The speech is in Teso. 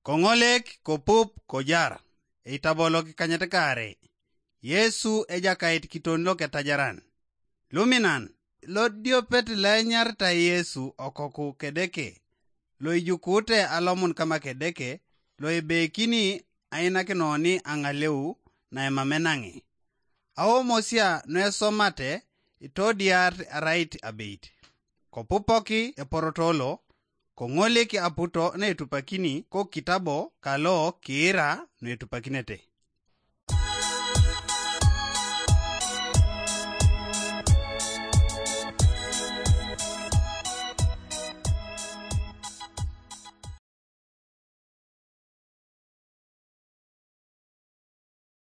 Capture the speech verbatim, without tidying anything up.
Koŋolek kopup kojar, eitabolok kanyet kaare. Yesu Ejakait kiton loketajaran. Luminan, lodiopet loenyaritai Yesu okoku Kedeke, loijukuute alomun kama Kedeke, loebeikini ainakinoni aŋaleu naimamenaŋi. Aomosia nuesomate itodiar arait abeit. Kopupoki eporotolo, koŋolik aputo naetupakini kokitabo kalo kiira nuetupakinete.